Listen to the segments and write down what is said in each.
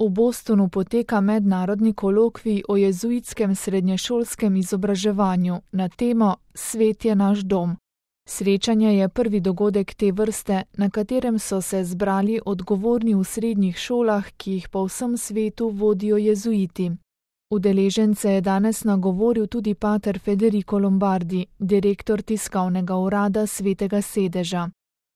V Bostonu poteka mednarodni kolokvij o jezuitskem srednješolskem izobraževanju na temo Svet je naš dom. Srečanje je prvi dogodek te vrste, na katerem so se zbrali odgovorni v srednjih šolah, ki jih po vsem svetu vodijo jezuiti. Udeležence je danes nagovoril tudi pater Federico Lombardi, direktor tiskovnega urada Svetega sedeža.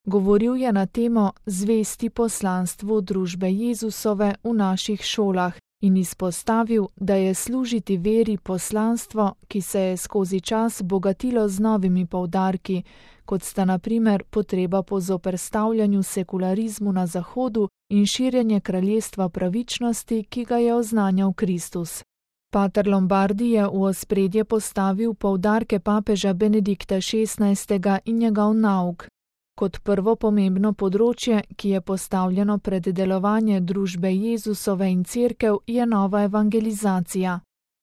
Govoril je na temo Zvesti poslanstvu družbe Jezusove v naših šolah in izpostavil, da je služiti veri poslanstvo, ki se je skozi čas bogatilo z novimi poudarki, kot sta na primer potreba po zoperstavljanju sekularizmu na Zahodu in širjenje kraljestva pravičnosti, ki ga je oznanjal Kristus. Pater Lombardi je v ospredje postavil poudarke papeža Benedikta XVI. In njegov nauk. Kot prvo pomembno področje, ki je postavljeno pred delovanje družbe Jezusove in cerkev, je nova evangelizacija.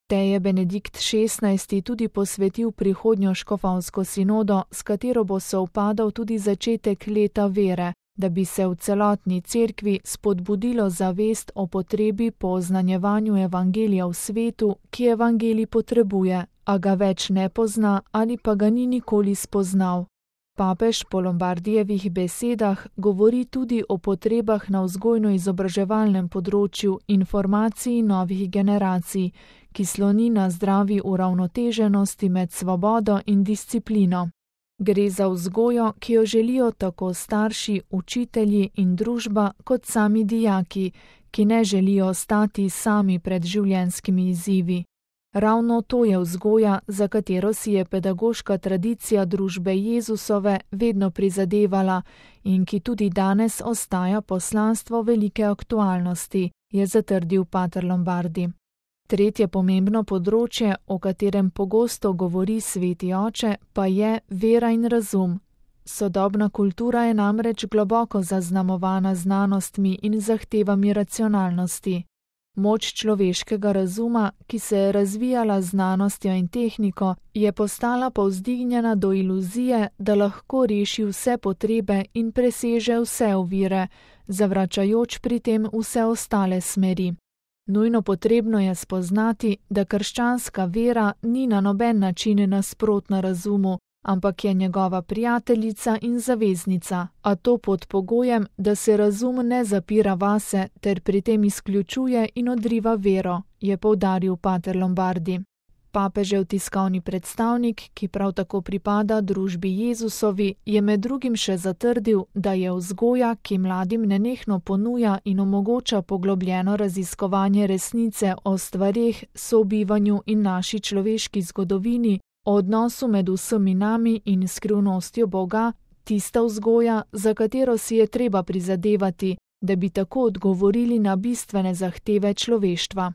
Tej je Benedikt XVI. Tudi posvetil prihodnjo škofovsko sinodo, s katero bo sovpadal tudi začetek leta vere, da bi se v celotni cerkvi spodbudilo zavest o potrebi po oznanjevanju evangelija v svetu, ki evangelij potrebuje, a ga več ne pozna ali pa ga ni nikoli spoznal. Papež po Lombardijevih besedah govori tudi o potrebah na vzgojno-izobraževalnem področju in formaciji novih generacij, ki sloni na zdravi uravnoteženosti med svobodo in disciplino. Gre za vzgojo, ki jo želijo tako starši, učitelji in družba kot sami dijaki, ki ne želijo ostati sami pred življenjskimi izzivi. Ravno to je vzgoja, za katero si je pedagoška tradicija družbe Jezusove vedno prizadevala in ki tudi danes ostaja poslanstvo velike aktualnosti, je zatrdil pater Lombardi. Tretje pomembno področje, o katerem pogosto govori sveti oče, pa je vera in razum. Sodobna kultura je namreč globoko zaznamovana znanostmi in zahtevami racionalnosti. Moč človeškega razuma, ki se je razvijala z znanostjo in tehniko, je postala povzdignjena do iluzije, da lahko reši vse potrebe in preseže vse ovire, zavračajoč pri tem vse ostale smeri. Nujno potrebno je spoznati, da krščanska vera ni na noben način nasprotna razumu, ampak je njegova prijateljica in zaveznica, a to pod pogojem, da se razum ne zapira vase ter pri tem izključuje in odriva vero, je poudaril pater Lombardi. Papežev tiskovni predstavnik, ki prav tako pripada družbi Jezusovi, je med drugim še zatrdil, da je vzgoja, ki mladim nenehno ponuja in omogoča poglobljeno raziskovanje resnice o stvareh, sobivanju in naši človeški zgodovini, o odnosu med vsemi nami in skrivnostjo Boga, tista vzgoja, za katero si je treba prizadevati, da bi tako odgovorili na bistvene zahteve človeštva.